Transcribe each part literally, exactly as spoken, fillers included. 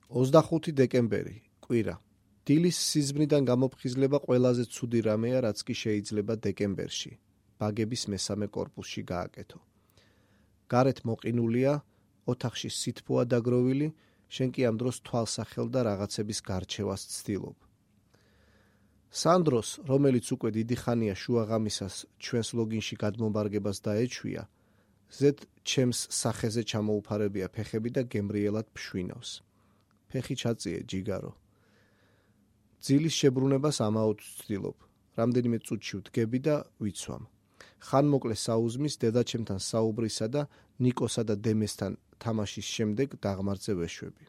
ოცდახუთი დეკემბერი, კვირა. დილის სიზმრიდან გამოფხიზლება ყველაზე ცუდი რამეა, რაც კი შეიძლება დეკემბერში, ბაგების მესამე კორპუსში გააკეთო. გარეთ მოყინულია, ოთახში სითბოა დაგროვილი, შენ კი ამ დროს თვალსახელ და რაღაცების გარჩევას ცდილობ. სანდროს, რომელიც უკვე დიდი ხანია შუაღამისას ჩვენს ლოგინში გადმომბარგებას დაეჩვია, ზედ ჩემს სახეზე ჩამოუფარებია ფეხები და გემრიელად ფშვინავს. ფეხი ჩაწიე, ჯიგარო. ძილის შებრუნებას ამაოდ ვცდილობ. რამდენიმე წუთში ვდგები და ვიცვამ. ხან მოკლე საუზმის დედაჩემთან საუბრისა და ნიკოსა და დემესთან თამაშის შემდეგ დაღმართზე ვეშვები.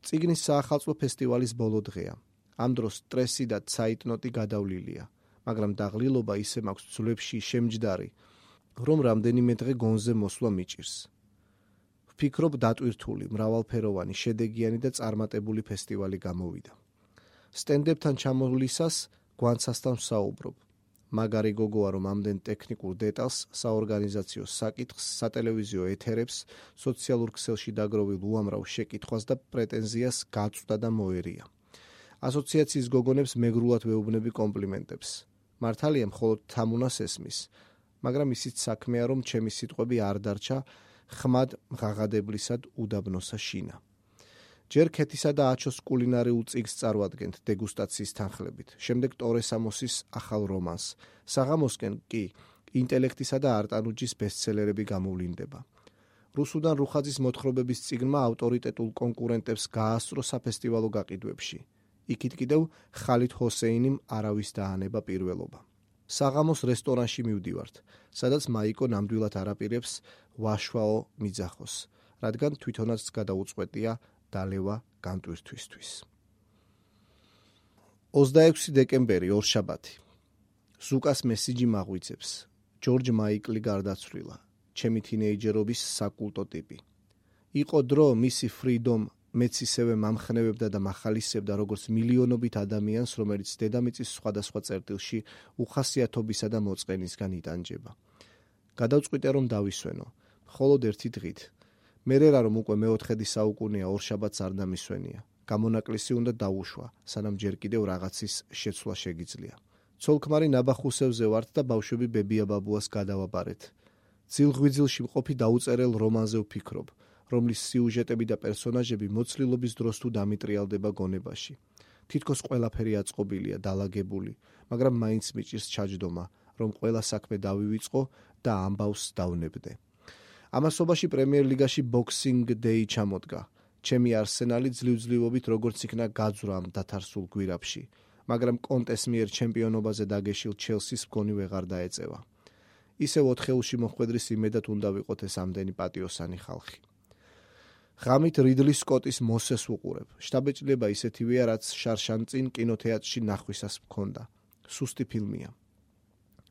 წიგნის საახალწლო ფესტივალის ბოლო დღეა. ამ დროს სტრესი და ცაიტნოტი გადავლილია, მაგრამ დაღლილობა ისე მაქვს ძვლებში შემჯდარი, რომ რამდენიმე დღე გონზე მოსვლა მიჭირს. ვფიქრობ დატვირთული, მრავალფეროვანი, შედეგიანი და წარმატებული ფესტივალი გამოვიდა. სტენდებთან ჩამოვლისას გვანცასთან ვსაუბრობ. მაგარი გოგოა, რომ ამდენ ტექნიკურ დეტალს, საორგანიზაციო საკითხს, სატელევიზიო ეთერებს, სოციალურ ქსელში დაგროვილ უამრავ შეკითხვას და პრეტენზიას გაწვდა და მოერია. ასოციაციის გოგონებს მეგრულად ვეუბნები კომპლიმენტებს. მართალია მხოლოდ თამუნას ესმის, მაგრამ ისიც საქმეა, რომ ჩემი სიტყვები არ დარჩა ხმად მღაღადებლისად უდაბნოსა შინა. ჯერ ქეთისა და აჩოს კულინარიულ წიგნს წარვადგენთ დეგუსტაციის თანხლებით, შემდეგ ტორე სამოსის ახალ რომანს, საღამოსკენ კი ინტელექტისა და არტანუჯის ბესტსელერები გამოვლინდება. რუსუდან რუხაძის მოთხრობების წიგნმა ავტორიტეტულ კონკურენტებს გაასწრო საფესტივალო გაყიდვებში. იქით კიდევ ხალით ჰოსეინიმ არავის დაანება პირველობა. საღამოს რესტორანში მივდივართ, სადაც მაიკო ნამდვილად არაპირებს ვაშვაო მიძახოს, რადგან თვითონაც გადაუწყვეტია დალევა განტვირთვისთვის. ოცდაექვსი დეკემბერი, ორშაბათი. ზუკას მესიჯი მაღვიძებს. ჯორჯ მაიკლი გარდაცვლილა, ჩემი თინეიჯერობის საკულტო ტიპი. იყო დრო მისი ფრიდომ მეც ისევე მამხნევებდა და მახალისებდა როგორც მილიონობით ადამიანს, რომელიც დედამიწის სხვადასხვა წერტილში უხასიათობისა და მოწყენისგან იტანჯება. გადავწყვიტე რომ დავისვენო, მხოლოდ ერთი დღით. მერერა რომ უკვე მეოთხედი საუკუნეა ორშაბათს არ დამისვენია. გამონაკლისი უნდა დაუშვა, სანამ ჯერ კიდევ რაღაცის შეცვლა შეგიძლია. ცოლქმარი ნაბახუსევზე ვართ და ბავშვები ბებია-ბაბუას გადავაბარეთ. ძილღვიძილში მყოფი დაუწერელ რომანზე ვფიქრობ, რომლის სიუჟეტები და პერსონაჟები მოცლილობის დროს თუ დამიტრიალდება გონებაში. თითქოს ყველაფერი აწყობილია, დალაგებული, მაგრამ მაინც მიჭირს ჩაჯდომა, რომ ყველა საქმე დავივიწყო და ამბავს დავნებდე. ამასობაში პრემიერ ლიგაში ბოქსინგ დეი ჩამოდგა. ჩემი არსენალი ძლივ-ძლივობით როგორც იქნა გაძვრა ამ დათარსულ გვირაბში, მაგრამ კონტეს მიერ ჩემპიონობაზე დაგეშილ ჩელსის მგონი ვეღარ დაეწევა. ისევ ოთხეულში მოხვედრის იმედად უნდა ვიყოთ ეს ამდენი პატიოსანი ხალხი. ღამით რიდლი სკოტის მოსეს ვუყურებ. შთაბეჭდილება ისეთივეა, რაც შარშანწინ კინოთეატრში ნახვისას მქონდა. სუსტი ფილმია.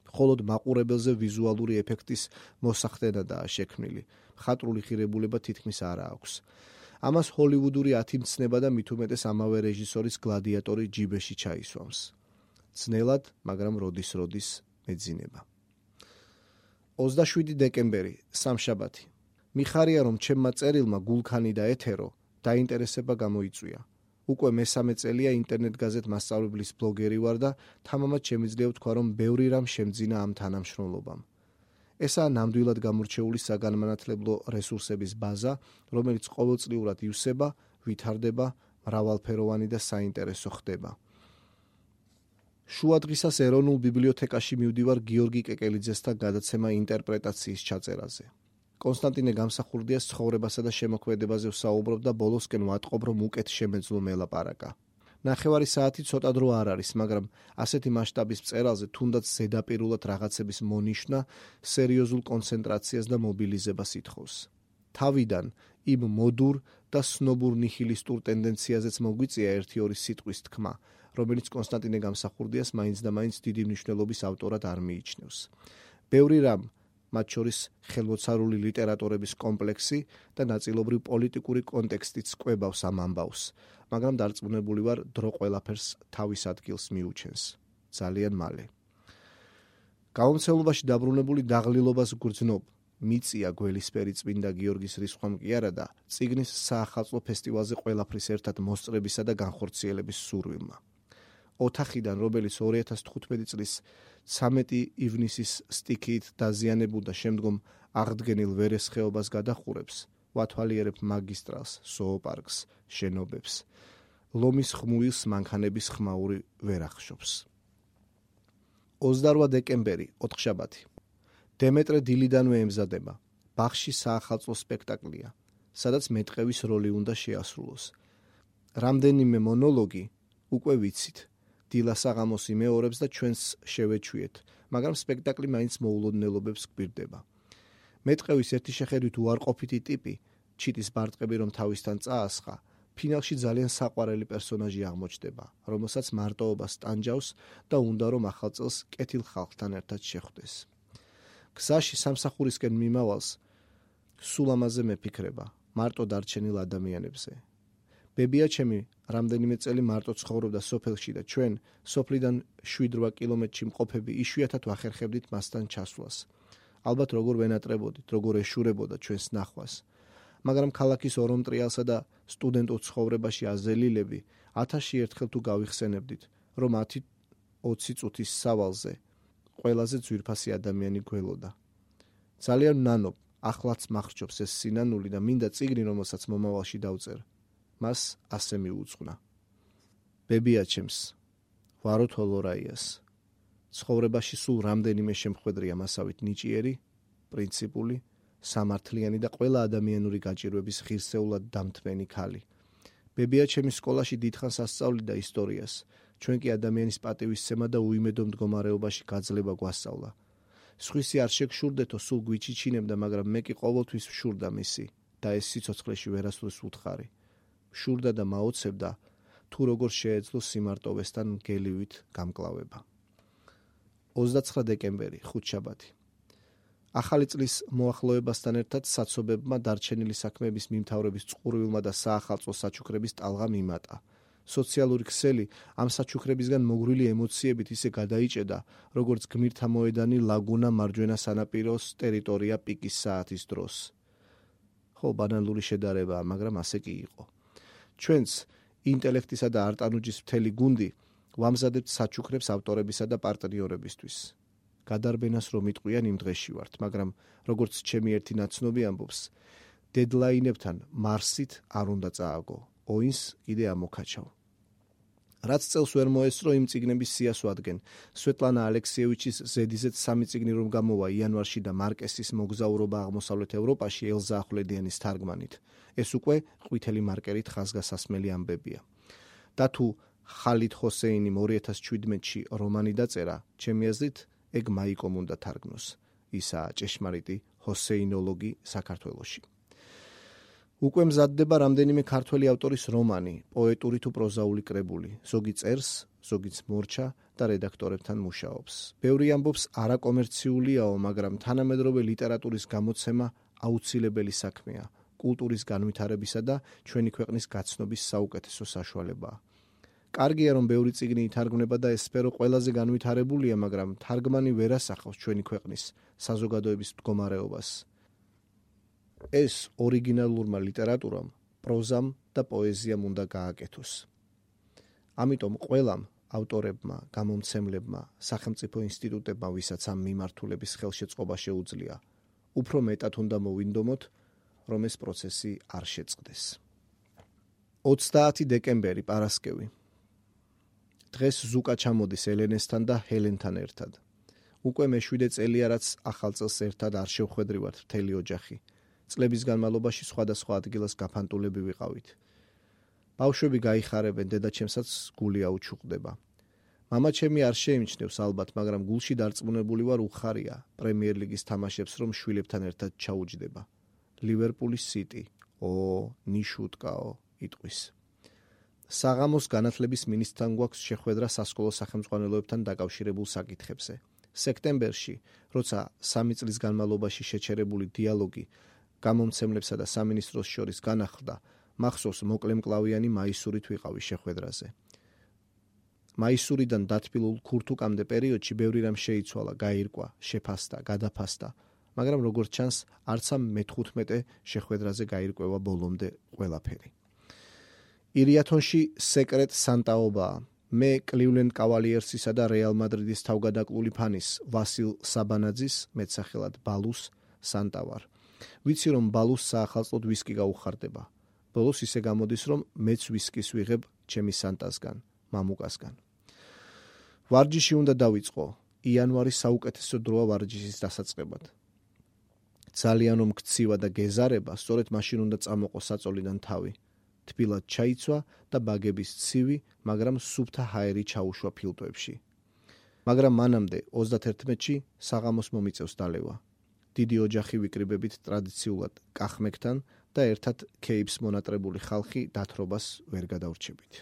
მხოლოდ მაყურებელზე ვიზუალური ეფექტის მოსახდენადაა შექმნილი. მხატვრული ღირებულება თითქმის არა აქვს. ამას ჰოლივუდური ათიმცნება და მით უმეტეს ამავე რეჟისორის გლადიატორი ჯიბეში ჩაისვამს. ძნელად, მაგრამ როდის-როდის მეძინება. ოცდაშვიდი დეკემბერი, სამშაბათი. მიხარია რომ ჩემმა წერილმა გულქანი და ეთერო დაინტერესება გამოიწვია. უკვე მესამე წელია ინტერნეტ გაზეთ მასწავლებლის ბლოგერი ვარ და თამამად შემიძლია ვთქვა, რომ ბევრი რამ შემძინა ამ თანამშრომლობამ. ესაა ნამდვილად გამორჩეული საგანმანათლებლო რესურსების ბაზა, რომელიც ყოველწლიურად ივსება, ვითარდება, მრავალფეროვანი და საინტერესო ხდება. შუადღისას ეროვნულ ბიბლიოთეკაში მივდივარ გიორგი კეკელიძესთან გადაცემა ინტერპრეტაციის ჩაწერაზე. კონსტანტინე გამსახურდიას ცხოვრებასა და შემოქმედებაზე ვსაუბრობ და ბოლოსკენ ვატყობ, რომ უკეთ შემეძლო მელაპარაკა. ნახევარი საათი ცოტა დრო არ არის, მაგრამ ასეთი მასშტაბის მწერალზე თუნდაც ზედაპირულად რაღაცების მონიშნა სერიოზულ კონცენტრაციას და მობილიზებას ითხოვს. თავიდან იმ მოდურ და სნობურ ნიჰილისტურ ტენდენციაზეც მოგვიწია ერთი-ორი სიტყვის თქმა, რომელიც კონსტანტინე გამსახურდიას მაინც და მაინც დიდი მნიშვნელობის ავტორად არ მიიჩნევს. ბევრი რამ, მათ შორის ხელმოცარული ლიტერატურების კომპლექსი და ნაწილობრივ პოლიტიკური კონტექსტიც კვებავს ამ ამბავს, მაგრამ დარწმუნებული ვარ, დრო ყველაფერს თავის ადგილს მიუჩენს. ძალიან მალე. გამომცემლობაში დაბრუნებული დაღლილობას გრძნობ, მიწია გველისფერი წმინდა გიორგის რისხვამ კი არა და წიგნის საახალწლო ფესტივალზე ყველაფრის ერთად მოსწრებისა და განხორციელების სურვილმა. ოთახიდან, რომელიც ორი ათას თხუთმეტი წლის ცამეტი ივნისის სტიქიით დაზიანებულ და შემდგომ აღდგენილ ვერეს ხეობას გადახურებს, ვათვალიერებ მაგისტრალს, ზოოპარკს, შენობებს, ლომის ხმუილს მანქანების ხმაური ვერ ახშობს. ოცდაორვა დეკემბერი, ოთხშაბათი. დემეტრე დილიდანვე ემზადება. ბაღში საახალწლო სპექტაკლია, სადაც მეტყევის როლი უნდა შეასრულოს. რამდენიმე მონოლოგი უკვე ვიცით. დილა საღამოს იმეორებს და ჩვენს შევეჩვიეთ, მაგრამ სპექტაკლი მაინც მოულოდნელობებს გვირდება. მეტყევის ერთი შეხედვით უარყოფითი ტიპი, ჩიტის ბარტყები რომ თავისთან წაასხა, ფინალში ძალიან საყვარელი პერსონაჟი აღმოჩნდება, რომელსაც მარტოობას ტანჯავს და უნდა რომ ახალ წელს კეთილ ხალხთან ერთად შეხვდეს. გზაში სამსახურისკენ მიმავალს სულ ამაზე მეფიქრება, მარტო დარჩენილ ადამიანებზე. ბებია ჩემი რამდენიმე წელი მარტო ცხოვრობდა სოფელში და ჩვენ სოფლიდან შვიდ რვა კილომეტრში მყოფები იშვიათად ვახერხებდით მასთან ჩასვლას. ალბათ როგორ ვენატრებოდით, როგორ ეშურებოდა ჩვენს ნახვას. მაგრამ ქალაქის ორომტრიალსა და სტუდენტურ ცხოვრებაში აზელილები ათასში ერთხელ თუ გავიხსენებდით, რომ ათი ოცი წუთის სავალზე ყველაზე ძვირფასი ადამიანი გველოდა. ძალიან ნანობ, ახლაც მახრჩობს ეს სინანული და მინდა წიგნი, რომელსაც მომავალში დავწერ. მას ასე მიუძღვნა. ბებია ჩემს, ვარო თოლორაიას. ცხოვრებაში სულ რამდენიმე შემხვედრია მასავით ნიჭიერი, პრინციპული, სამართლიანი და ყველა ადამიანური გაჭირვების ღირსეულად დამთმენი ქალი. ბებია ჩემი სკოლაში დიდხანს ასწავლიდა ისტორიას, ჩვენ კი ადამიანის პატივისცემა და უიმედო მდგომარეობაში გაძლება გვასწავლა. სხვისი არ შეგშურდეთო, სულ გვიჩიჩინებდა, მაგრამ მე კი ყოველთვის ვშურდა მისი და ეს სიცოცხლეში ვერასდროს უთხარი. შურდა და მაოცებდა, თუ როგორ შეეძლო სიმარტოვესთან მგელივით გამკლავება. ოცდაცხრა დეკემბერი, ხუთშაბათი. ახალი წლის მოახლოებასთან ერთად საცობებმა დარჩენილი საქმეების მიმთავრების წყურვილმა და საახალწლო საჩუქრების ტალღა მიმატა. სოციალური ქსელი ამ საჩუქრებისგან მოგრული ემოციებით ისე გადაიჭედა, როგორც გმირთა მოედანი ლაგუნა მარჯვენა სანაპიროს ტერიტორია პიკის საათის დროს. ხო, ბანალური შედარებაა, მაგრამ ასე კი იყო. ჩვენც ინტელექტისა და არტანუჯის მთელი გუნდი ვამზადებთ საჩუქრებს ავტორებისა და პარტნიორებისთვის. გადარბენას რომ იტყვიან იმ დღეში ვართ, მაგრამ როგორც ჩემი ერთი ნაცნობი ამბობს, დედლაინებთან მარსით არ უნდა წააგო, ოინს კიდე ამოქაჩავ. რაც წელს ვერ მოესწრო იმ წიგნების სიას ვადგენ. სვეტლანა ალექსიევიჩის ზედიზედ სამი წიგნი რომ გამოვა იანვარში და მარკესის მოგზაურობა აღმოსავლეთ ევროპაში ელზა ახვლედიანის თარგმანით. ეს უკვე ყვითელი მარკერით ხაზგასასმელი ამბებია. და თუ ხალიდ ჰოსეინიმ ორი ათას შვიდმეტში რომანი დაწერა, ჩემი აზრით ეგ მაიკომ უნდა თარგმნოს. ისაა ჭეშმარიტი ჰოსეინოლოგი საქართველოში. უკვე მზადდება რამდენიმე ქართველი ავტორის რომანი, პოეტური თუ პროზაული კრებული, ზოგი წერს, ზოგიც მორჩა და რედაქტორებთან მუშაობს. ბევრი ამბობს არაკომერციულიაო, მაგრამ თანამედროვე ლიტერატურის გამოცემა აუცილებელი საქმეა, კულტურის განვითარებისა და ჩვენი ქვეყნის გაცნობის საუკეთესო საშუალებაა. კარგია რომ ბევრი წიგნი ითარგმნება და ეს სფერო ყველაზე განვითარებულია, მაგრამ თარგმანი ვერ ასახავს ჩვენი ქვეყნის საზოგადოების მდგომარეობას. ეს ორიგინალურმა ლიტერატურამ, პროზამ და პოეზიამ უნდა გააკეთოს. ამიტომ ყველამ ავტორებმა, გამომცემლებმა, სახელმწიფო ინსტიტუტებმა, ვისაც ამ მიმართულების ხელშეწყობა შეუძლია, უფრო მეტად უნდა მოვინდომოთ, რომ ეს პროცესი არ შეწყდეს. ოცდაათი დეკემბერი, პარასკევი. დღეს ზუკა ჩამოდის ელენესთან და ჰელენთან ერთად. უკვე მეშვიდე წელია, რაც ახალ წელს ერთად არ შევხვედრივართ მთელი ოჯახი. წლების განმავლობაში სხვადასხვა ადგილას გაფანტულები ვიყავით. ბავშვები გაიხარებენ, დედაჩემსაც გული აუჩუყდება. მამა ჩემი არ შეიმჩნევს ალბათ, მაგრამ გულში დარწმუნებული ვარ უხარია პრემიერ ლიგის თამაშებს რომ შვილებთან ერთად ჩაუჯდება. ლივერპულის სიტი, ო, ნიშუტკაო, იტყვის. საღამოს განათლების მინისტრთან გვაქვს შეხვედრა სასკოლო სახელმძღვანელოებთან დაკავშირებულ საკითხებზე. სექტემბერში, როცა სამი წლის განმავლობაში შეჩერებული დიალოგი გამომცემლებსა და სამინისტროს შორის განახლდა, მახსოვს მოკლემკლავიანი მაისურით ვიყავი შეხვედრაზე. მაისურიდან დათბილულ ქურთუკამდე პერიოდში ბევრი რამ შეიცვალა, გაირკვა, შეფასდა, გადაფასდა, მაგრამ როგორც ჩანს, არც ამ მეთხუთმეტე შეხვედრაზე გაირკვევა ბოლომდე ყველაფერი. ირიათონში სეკრეტ სანტაობაა. მე კლივლენდ კავალიერსისა და რეალ მადრიდის თავგადაკლული ფანის ვასილ საბანაძის, მეტსახელად ბალუს, სანტა ვარ. ვიცი რომ ბალუს საახალწლოდ ვისკი გაუხარდება. ბოლოს ისე გამოდის რომ მეც ვისკის ვიღებ ჩემი სანტასგან, მამუკასგან. ვარჯიში უნდა დავიწყო. იანვარი საუკეთესო დროა ვარჯიშის დასაწყებად. ძალიან რომ გცივა და გეზარება, სწორედ მაშინ უნდა წამოყო საწოლიდან თავი. თბილად ჩაიცვა და ბაგების ცივი, მაგრამ სუფთა ჰაერი ჩაუშვა ფილტვებში. მაგრამ მანამდე ოცდაათერთში საღამოს მომიწევს დალევა. დიდი ოჯახი ვიკრიბებით ტრადიციულად კახმეკთან და ერთად ქეიფს მონატრებული ხალხი დათრობას ვერ გადავრჩებით.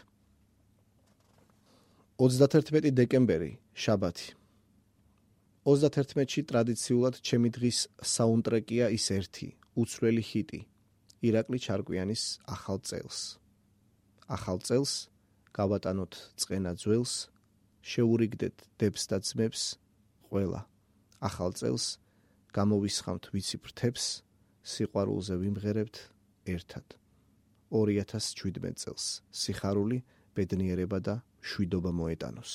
ოცდაათერთი დეკემბერი, შაბათი. ოცდაათერთში ტრადიციულად ჩემი დღის საუნდტრეკია ის ერთი, უცვლელი ჰიტი. ირაკლი ჩარკვიანის ახალ წელს. ახალ წელს გავატანოთ წყენა ძველს, შეურიგდეთ დებს და ძმებს, ყველა. ახალ წელს გამოვისხამთ ვიცი ფრთებს, სიყვარულზე ვიმღერებთ ერთად. ორი ათას შვიდმეტ წელს სიხარული, ბედნიერება და მშვიდობა მოეტანოს.